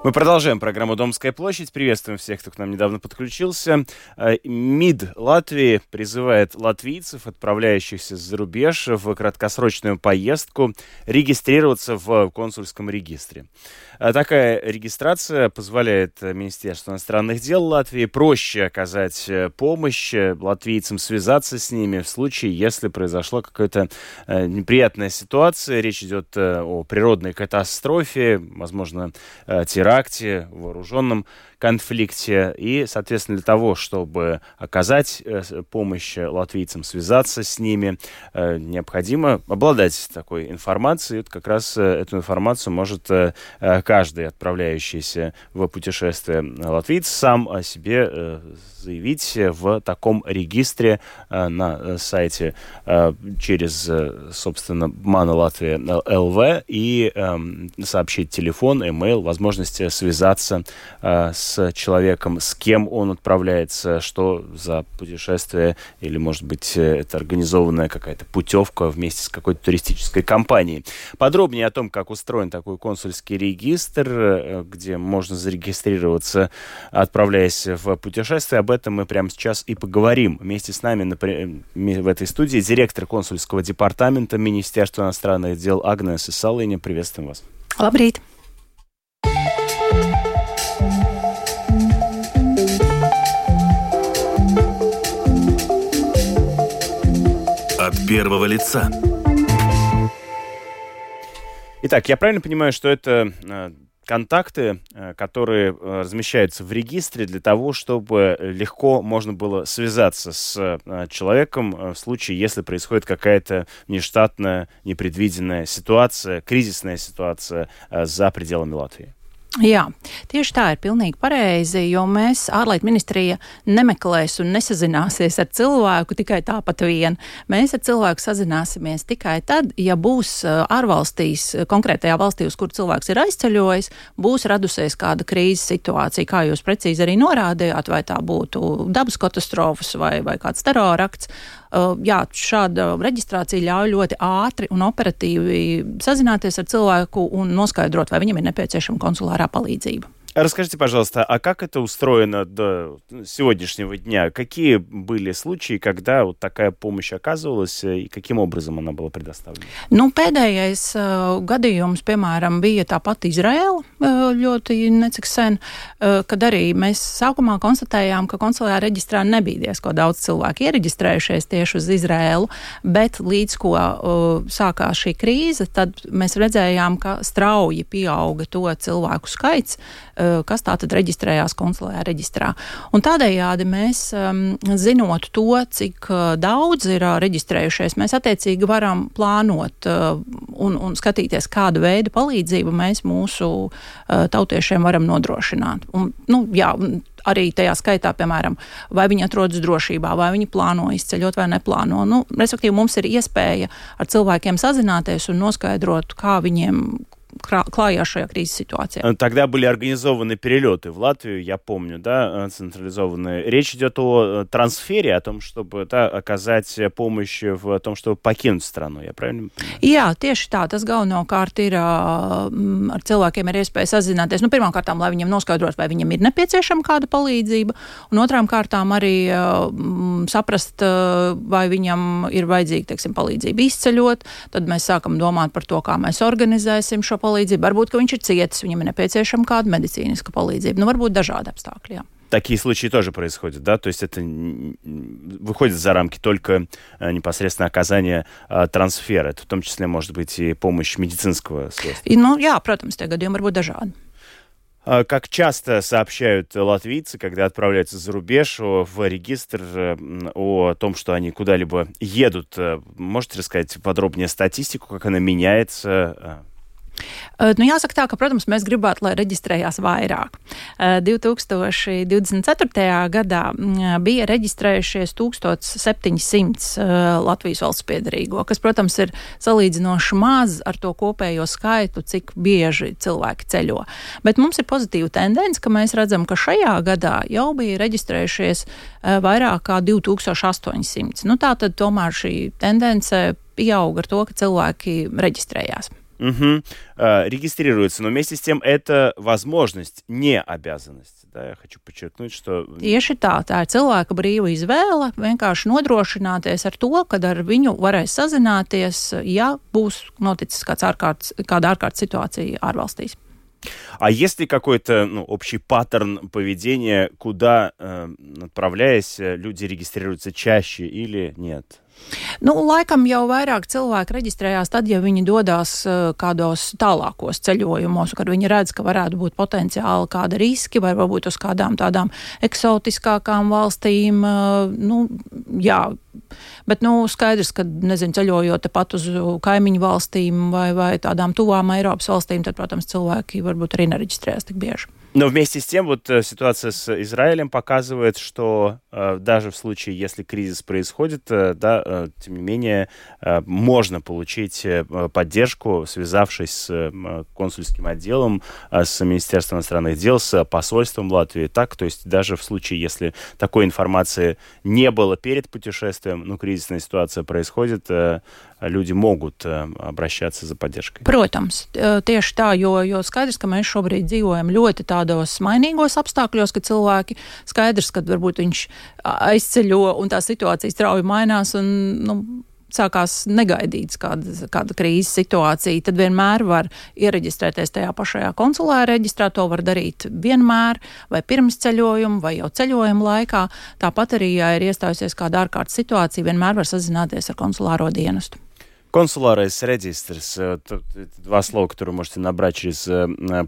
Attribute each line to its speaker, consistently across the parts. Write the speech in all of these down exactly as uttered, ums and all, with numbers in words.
Speaker 1: Мы продолжаем программу «Домская площадь». Приветствуем всех, кто к нам недавно подключился. МИД Латвии призывает латвийцев, отправляющихся за рубеж в краткосрочную поездку, регистрироваться в консульском регистре. Такая регистрация позволяет Министерству иностранных дел Латвии проще оказать помощь латвийцам, связаться с ними в случае, если произошла какая-то неприятная ситуация. Речь идет о природной катастрофе, возможно, теракте, акте, вооруженном конфликте. И, соответственно, для того, чтобы оказать помощь латвийцам, связаться с ними, необходимо обладать такой информацией. И вот как раз эту информацию может каждый отправляющийся в путешествие латвиец сам о себе заявить в таком регистре на сайте через, собственно, Mana Latvija точка эл ви и сообщить телефон, имейл, возможность связаться с человеком, с кем он отправляется, что за путешествие, или, может быть, это организованная какая-то путевка вместе с какой-то туристической компанией. Подробнее о том, как устроен такой консульский регистр, где можно зарегистрироваться, отправляясь в путешествие, об этом мы прямо сейчас и поговорим. Вместе с нами в этой студии директор консульского департамента Министерства иностранных дел Агнеса Салиņa. Приветствуем вас.
Speaker 2: Labrīt!
Speaker 3: От первого лица.
Speaker 1: Итак, я правильно понимаю, что это контакты, которые размещаются в регистре для того, чтобы легко можно было связаться с человеком в случае, если происходит какая-то нештатная, непредвиденная ситуация, кризисная ситуация за пределами Латвии?
Speaker 2: Jā, tieši tā ir pilnīgi pareizi, jo mēs, ārlietu ministrija, nemeklēs un nesazināsies ar cilvēku tikai tāpat vien. Mēs ar cilvēku sazināsimies tikai tad, ja būs ārvalstīs, konkrētajā valstī, uz kur cilvēks ir aizceļojis, būs radusies kāda krīzes situācija, kā jūs precīzi arī norādījāt, vai tā būtu dabas katastrofas vai, vai kāds terorakts. Uh, jā, šāda reģistrācija ļauj ļoti ātri un operatīvi sazināties ar cilvēku un noskaidrot, vai viņam ir nepieciešama konsulārā palīdzība.
Speaker 1: Расскажите, пожалуйста, а как это устроено до сегодняшнего дня? Какие были случаи, когда вот такая помощь оказывалась, и каким образом она была предоставлена?
Speaker 2: Nu, pēdējais uh, gadījums, piemēram, bija tāpat Izraela uh, ļoti necik sen, uh, kad arī mēs sākumā konstatējām, ka konsulārā reģistrā nebija diezko daudz cilvēku iereģistrējušies tieši uz Izraelu, bet līdz ko uh, sākās šī krīze, tad mēs redzējām, ka strauji pieauga to cilvēku skaits, kas tātad reģistrējās konsulārajā reģistrā. Un tādējādi mēs, um, zinot to, cik daudz ir uh, reģistrējušies, mēs attiecīgi varam plānot uh, un, un skatīties, kādu veidu palīdzību mēs mūsu uh, tautiešiem varam nodrošināt. Un, nu, jā, arī tajā skaitā, piemēram, vai viņi atrodas drošībā, vai viņi plāno izceļot vai neplāno. Nu, respektīvi, mums ir iespēja ar cilvēkiem sazināties un noskaidrot, kā viņiem клая шая кризис ситуации.
Speaker 1: Тогда были организованы перелеты в Латвию, я помню, да, централизованные. Речь идет о трансфере, о том, чтобы да, оказать помощь в том, чтобы покинуть страну. Я правильно понимаю?
Speaker 2: Jā, tieši tā. Tas galvenokārt ir ar cilvēkiem ir iespēja sazināties. Nu, pirmām kārtām, lai viņiem noskaidrot, vai viņam ir nepieciešama kāda palīdzība, un otrām kārtām arī m, saprast, vai viņam ir vajadzīga, teiksim, palīdzība izceļot. Tad mēs sākam domāt par to, kā mēs organizēsim šo palīdzību. Varbūt, ka viņš ir cietis, viņam ir nepieciešama kāda medicīniska palīdzība. Nu, varbūt dažādi apstākļi, jā.
Speaker 1: Такие случаи тоже происходят, да? То есть это выходит за рамки только непосредственно оказания а, трансфера. Это в том числе может быть и помощь медицинского средства.
Speaker 2: И, ну, jā, protams, tie gadījumi var būt dažādi.
Speaker 1: Как часто сообщают латвийцы, когда отправляются за рубеж, в регистр о том, что они куда-либо едут? Можете рассказать подробнее статистику, как она меняется?
Speaker 2: Nu, jāsaka tā, ka, protams, mēs gribētu, lai reģistrējās vairāk. divi tūkstoši divdesmit ceturtajā gadā bija reģistrējušies tūkstoš septiņi simti Latvijas valsts piedarīgo, kas, protams, ir salīdzinoši maz ar to kopējo skaitu, cik bieži cilvēki ceļo. Bet mums ir pozitīva tendence, ka mēs redzam, ka šajā gadā jau bija reģistrējušies vairāk kā divi tūkstoši astoņi simti. Nu, tā tad tomēr šī tendence pieauga ar to, ka cilvēki reģistrējās.
Speaker 1: Угу. А, регистрируется, но вместе с тем это возможность, не обязанность. Да, я хочу подчеркнуть, что...
Speaker 2: Tieši tā, tā ir cilvēka brīva izvēle, vienkārši nodrošināties ar to, kad ar viņu varēs sazināties, ja būs noticis kāds ārkārtas, kāda ārkārtas situācija ārvalstīs.
Speaker 1: А есть ли какой-то ну, общий паттерн поведения, куда, э, отправляясь, люди регистрируются чаще или нет?
Speaker 2: Nu, laikam jau vairāk cilvēki reģistrējās tad, ja viņi dodas uh, kādos tālākos ceļojumos, kad viņi redz, ka varētu būt potenciāli kāda riski, vai varbūt uz kādām tādām eksotiskākām valstīm. Uh, nu, jā, bet nu, skaidrs, ka, nezinu, ceļojot tepat uz kaimiņu valstīm vai, vai tādām tuvām Eiropas valstīm, tad, protams, cilvēki varbūt arī nereģistrējas tik bieži.
Speaker 1: Но вместе с тем вот ситуация с Израилем показывает, что э, даже в случае, если кризис происходит, э, да, э, тем не менее, э, можно получить э, поддержку, связавшись с э, консульским отделом, э, с Министерством иностранных дел, с посольством Латвии. Так, то есть даже в случае, если такой информации не было перед путешествием, ну, кризисная ситуация происходит, э, люди могут э, обращаться за поддержкой.
Speaker 2: Protams, tieši tā, jo, jo skaidrs, ka mēs šobrīd dzīvojam ļoti tādos mainīgos apstākļos, ka cilvēki skaidrs, ka varbūt viņš aizceļo un tā situācija strauji mainās un, nu, sākās negaidīts kāda, kāda krīzes situācija, tad vienmēr var iereģistrēties tajā pašajā konsulāra reģistrā, to var darīt vienmēr, vai pirms ceļojuma, vai jau ceļojuma laikā. Tāpat arī, ja ir iestājusies kāda ārkārtas situācija, vienmēr var sazināties ar konsulāro dienestu.
Speaker 1: Консуларес регистрс, два слова, которые можете набрать через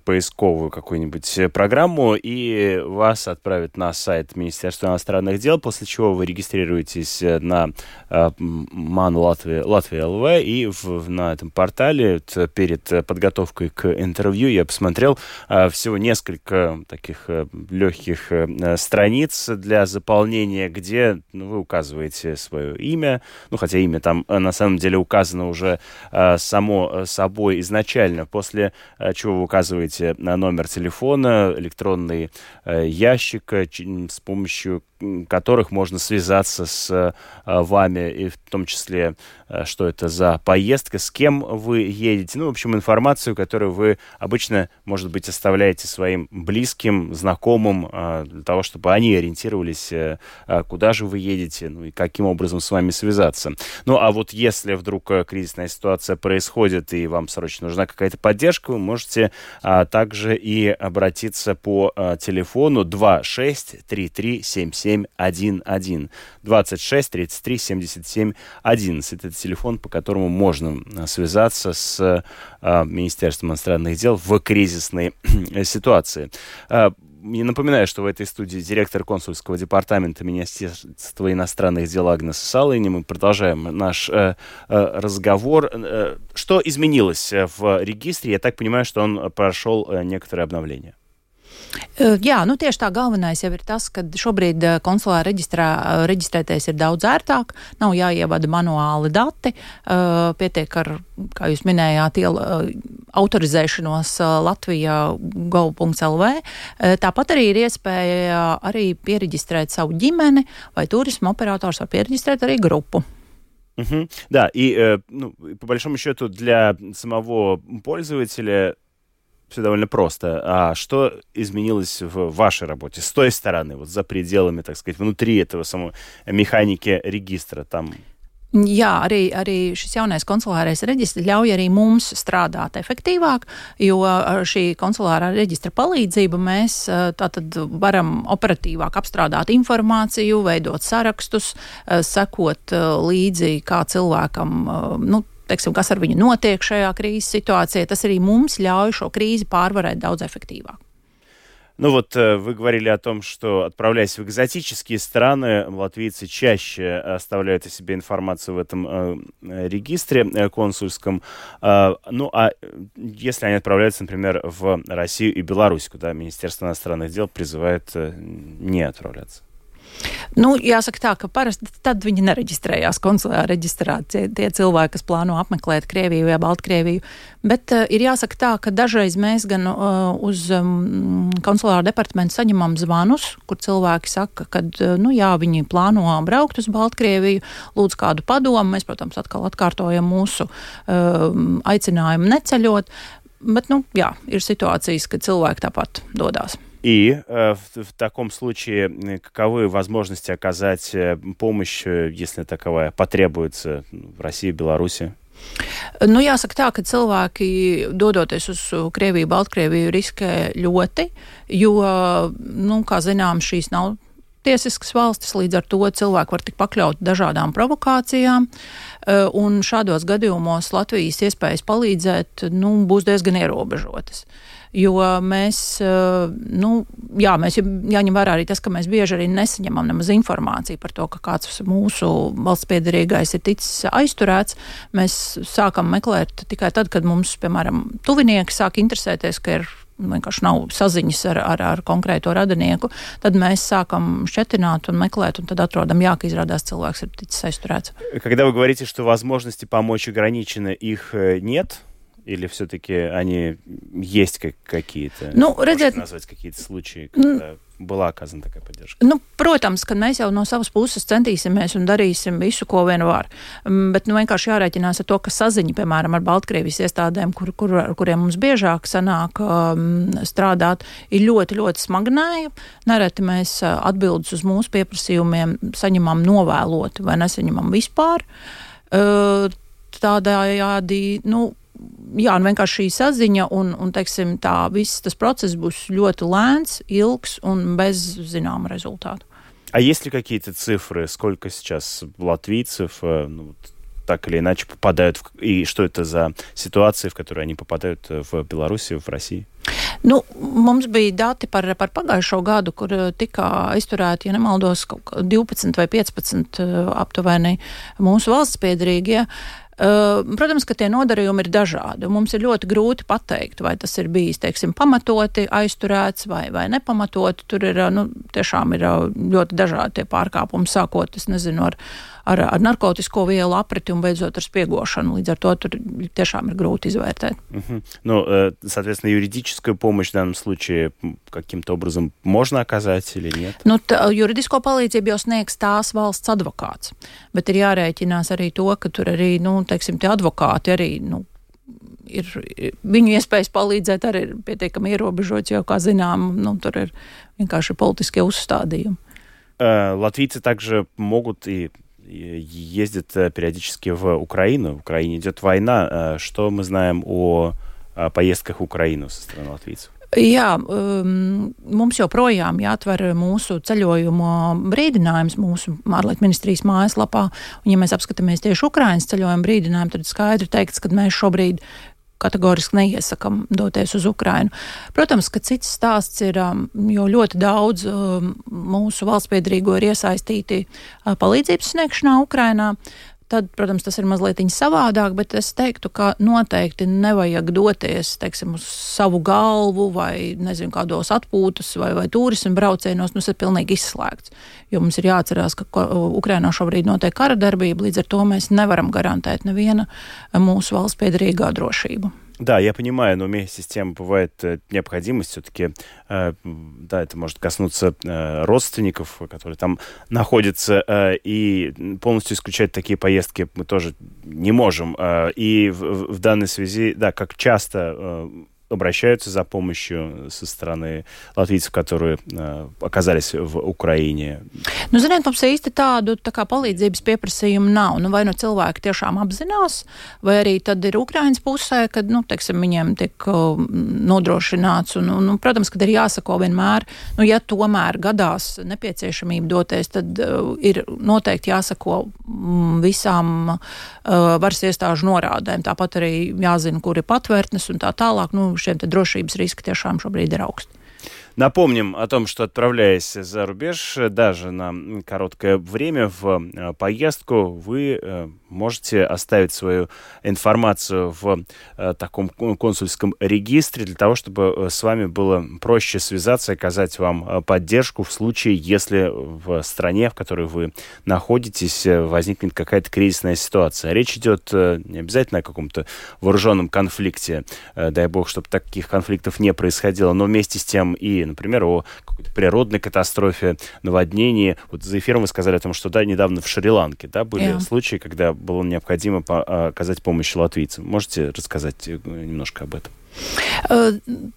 Speaker 1: поисковую какую-нибудь программу, и вас отправят на сайт Министерства иностранных дел, после чего вы регистрируетесь на МАН Латвия, Латвия эл ви, и в, на этом портале перед подготовкой к интервью я посмотрел всего несколько таких легких страниц для заполнения, где ну, вы указываете свое имя, ну хотя имя там на самом деле указано уже э, само собой изначально, после э, чего вы указываете на номер телефона, электронный э, ящик, э, с помощью которых можно связаться с э, вами, и в том числе, э, что это за поездка, с кем вы едете, ну, в общем, информацию, которую вы обычно, может быть, оставляете своим близким, знакомым, э, для того, чтобы они ориентировались, э, куда же вы едете, ну, и каким образом с вами связаться. Ну, а вот если вдруг кризисная ситуация происходит, и вам срочно нужна какая-то поддержка, вы можете а, также и обратиться по а, телефону двадцать шесть тридцать три семьдесят семь одиннадцать. двадцать шесть тридцать три семьдесят семь одиннадцать. Это телефон, по которому можно связаться с а, Министерством иностранных дел в кризисной ситуации. А, Я напоминаю, что в этой студии директор консульского департамента Министерства иностранных дел Агнес Салыни. Мы продолжаем наш э, э, разговор. Э, что изменилось в регистре? Я так понимаю, что он прошел э, некоторые обновления.
Speaker 2: Jā, nu tieši tā galvenais jau ir tas, ka šobrīd konsulāra reģistrā reģistrēties ir daudz ērtāk, nav jāievada manuāli dati, pietiek ar, kā jūs minējāt, iel, autorizēšanos Latvijā gov punkts el vi. Tāpat arī ir iespēja arī piereģistrēt savu ģimeni, vai turisma operators var piereģistrēt arī grupu.
Speaker 1: Uh-huh. Да, и э, ну, по большому счету для самого пользователя все довольно просто. А что изменилось в вашей работе с той стороны, вот за пределами, так сказать, внутри этого самого механики регистра там?
Speaker 2: Jā, arī, arī šis jaunais konsulārais reģistrs ļauj arī mums strādāt efektīvāk, jo ar šī konsulārā reģistra palīdzību mēs tātad varam operatīvāk apstrādāt informāciju, veidot sarakstus, sekot līdzi, kā cilvēkam, nu, teiksim, kas ar viņu notiek šajā krīzes situācijā. Tas arī mums ļauj šo krīzi pārvarēt daudz efektīvāk.
Speaker 1: Ну вот вы говорили о том, что, отправляясь в экзотические страны, латвийцы чаще оставляют о себе информацию в этом э, регистре э, консульском. Э, ну а если они отправляются, например, в Россию и Беларусь, куда Министерство иностранных дел призывает э, не отправляться?
Speaker 2: Nu, jāsaka tā, ka parasti tad viņi nereģistrējās konsulārā reģistrā, tie, tie cilvēki, kas plāno apmeklēt Krieviju vai Baltkrieviju. Bet uh, ir jāsaka tā, ka dažreiz mēs gan uh, uz um, konsulāru departamentu saņemam zvanus, kur cilvēki saka, ka uh, nu, jā, viņi plāno braukt uz Baltkrieviju, lūdz kādu padomu. Mēs, protams, atkal atkārtojam mūsu uh, aicinājumu neceļot. Bet, nu, jā, ir situācijas, kad cilvēki tāpat dodās.
Speaker 1: И э, в, в таком случае каковы возможности оказать помощь, если таковая потребуется в России, Беларуси?
Speaker 2: Nu, jāsaka tā, ka cilvēki, dodoties uz Krieviju, Baltkrieviju, riskē ļoti, jo, nu, kā zinām, šīs nav tiesiskas valstis, līdz ar to cilvēki var tik pakļaut dažādām provokācijām, un šādos gadījumos Latvijas iespējas palīdzēt, nu, būs diezgan ierobežotas. Jo mēs, nu, jā, mēs jāņem vērā arī tas, ka mēs bieži arī nesaņemam nemaz informāciju par to, ka kāds mūsu valsts piederīgais ir ticis aizturēts. Mēs sākam meklēt tikai tad, kad mums, piemēram, tuvinieki sāk interesēties, ka ir vienkārši nav saziņas ar, ar, ar konkrēto radinieku, tad mēs sākam šķetināt un meklēt, un tad atrodam, jā, ka izrādās cilvēks ir ticis aizturēts.
Speaker 1: Когда вы говорите, что возможности помочь ограничены, их нет? Или все-таки они есть как какие-то?
Speaker 2: Nu, redziet,
Speaker 1: можете назвать какие-то случаи, когда была оказана такая поддержка?
Speaker 2: Nu, protams, ka mēs jau no savas puses centīsimies un darīsim visu, ko vien var. Bet nu, vienkārši jārēķinās ar to, ka saziņa, piemēram, ar Baltkrievijas iestādēm, kur, kur, ar kuriem mums biežāk sanāk um, strādāt, ir ļoti, ļoti smagnēja. Nereti mēs atbildes uz mūsu pieprasījumiem saņemam novēloti vai nesaņemam vispār. Uh, tādējādi, nu, jā, un vienkārši šī saziņa un, un teiksim, tā viss tas process būs ļoti lēns, ilgs un bez zināma результата.
Speaker 1: А есть ли какие-то цифры, сколько сейчас латвийцев, ну, так или иначе попадают, в, и что это за ситуации, в которые они попадают в Беларуси, в России?
Speaker 2: Nu, mums bija dati par, par pagājušo gadu, kur tika aizturēti, ja nemaldos, kaut kā divpadsmit vai piecpadsmit aptuveni mūsu valsts piederīgie. Protams, ka tie nodarījumi ir dažādi. Mums ir ļoti grūti pateikt, vai tas ir bijis, teiksim, pamatoti aizturēts vai, vai nepamatoti. Tur ir, nu, tiešām ir ļoti dažādi tie pārkāpumi, sākot, es nezinu, ar, ar, ar narkotisko vielu apriti un beidzot ar spiegošanu. Līdz ar to tur tiešām ir grūti izvērtēt. Uh-huh.
Speaker 1: Ну, соответственно, юридическую помощь в данном случае каким-то образом можно оказать или нет?
Speaker 2: Nu, tā, juridisko palīdzību jau sniegs tās valsts advokāts, bet ir jārēķinās arī to, ka tur arī, nu, teiksim, tie advokāti arī, nu, ir, viņu iespējas palīdzēt arī ir pietiekami ierobežots, jo, kā zinām, nu, tur ir vienkārši politiskie uzstādījumi.
Speaker 1: Латвийцы также могут и ездят периодически в Украину. В Украине идет война. Что мы знаем о поездках в Украину со стороны латвийцев?
Speaker 2: Jā, um, mums joprojām jāatver mūsu ceļojumu brīdinājums mūsu ārlietu ministrijas mājaslapā. Un, ja mēs apskatāmies tieši Ukrainas ceļojumu brīdinājumu, tad skaidri teikts, ka mēs šobrīd kategoriski neiesakam doties uz Ukrainu. Protams, ka cits stāsts ir, jo ļoti daudz mūsu valstspiedrīgo ir iesaistīti palīdzības sniegšanā Ukrainā. Tad, protams, tas ir mazliet savādāk, bet es teiktu, ka noteikti nevajag doties, teiksim, uz savu galvu vai, nezinu, kādos atpūtas vai, vai turismu braucienos, nu, tas ir pilnīgi izslēgts. Jo mums ir jāatcerās, ka Ukrainā šobrīd notiek kara darbība, līdz ar to mēs nevaram garantēt neviena mūsu valsts piederīgā drošību.
Speaker 1: Да, я понимаю, но вместе с тем бывает необходимость все-таки, э, да, это может коснуться э, родственников, которые там находятся, э, и полностью исключать такие поездки мы тоже не можем. Э, и в, в данной связи, да, как часто э, обращаются за помощью со стороны латвийцев, которые uh, оказались в Ukraiņē?
Speaker 2: Nu, ziniet, mums īsti tādu tā kā palīdzības pieprasījumu nav. Nu, vai nu cilvēki tiešām apzinās, vai arī tad ir Ukraiņas pusē, kad, nu, teiksim, viņiem tiek uh, nodrošināts. Un, un, protams, kad ir jāsako vienmēr, nu, ja tomēr gadās nepieciešamība doties, tad uh, ir noteikti jāsako mm, visām uh, varas iestāžu norādēm. Tāpat arī jāzina, kur ir patvērtnes un tā tālāk. Nu, šiem te drošības riski tiešām šobrīd ir augsti.
Speaker 1: Напомним о том, что, отправляясь за рубеж, даже на короткое время в поездку, вы можете оставить свою информацию в таком консульском регистре для того, чтобы с вами было проще связаться и оказать вам поддержку в случае, если в стране, в которой вы находитесь, возникнет какая-то кризисная ситуация. Речь идет не обязательно о каком-то вооруженном конфликте, дай бог, чтобы таких конфликтов не происходило, но вместе с тем и, например, о какой-то природной катастрофе, наводнении. Вот за эфиром вы сказали о том, что да, недавно в Шри-Ланке да, были yeah. случаи, когда было необходимо по- оказать помощь латвийцам. Можете рассказать немножко об этом?
Speaker 2: Uh...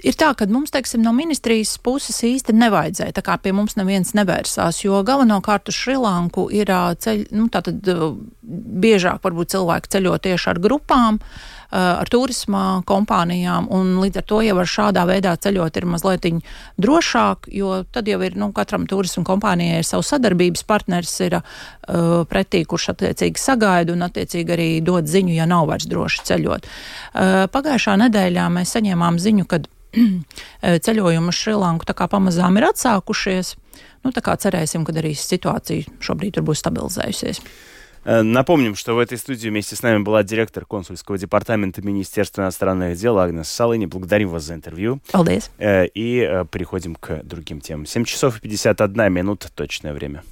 Speaker 2: Ir tā, ka mums, teiksim, no ministrijas puses īsti nevajadzēja, tā kā pie mums neviens nevērsās, jo galvenokārt uz Šrilanku ir ceļ, nu, tātad biežāk varbūt cilvēki ceļo tieši ar grupām, ar turisma kompānijām, un līdz ar to jau ar šādā veidā ceļot ir mazliet drošāk, jo tad jau ir, nu, katram turisma kompānijai ir savu sadarbības partners, ir uh, pretī, kurš attiecīgi sagaida un attiecīgi arī dod ziņu, ja nav vairs droši ceļot. Uh, pagājušā nedēļā mēs saņēmām ziņu, kad ceļojumi uz Šrilanku tā kā pamazām ir atsākušies. Nu, tā kā cerēsim, ka arī ситуация šobrīd tur būs стабилизējusies.
Speaker 1: Напомним, что в этой студии вместе с нами была директор консульского департамента Министерства иностранных дел Агнес Салыни. Благодарим вас за интервью.
Speaker 2: Paldies.
Speaker 1: И переходим к другим темам. семь часов и пятьдесят одна минута, точное время.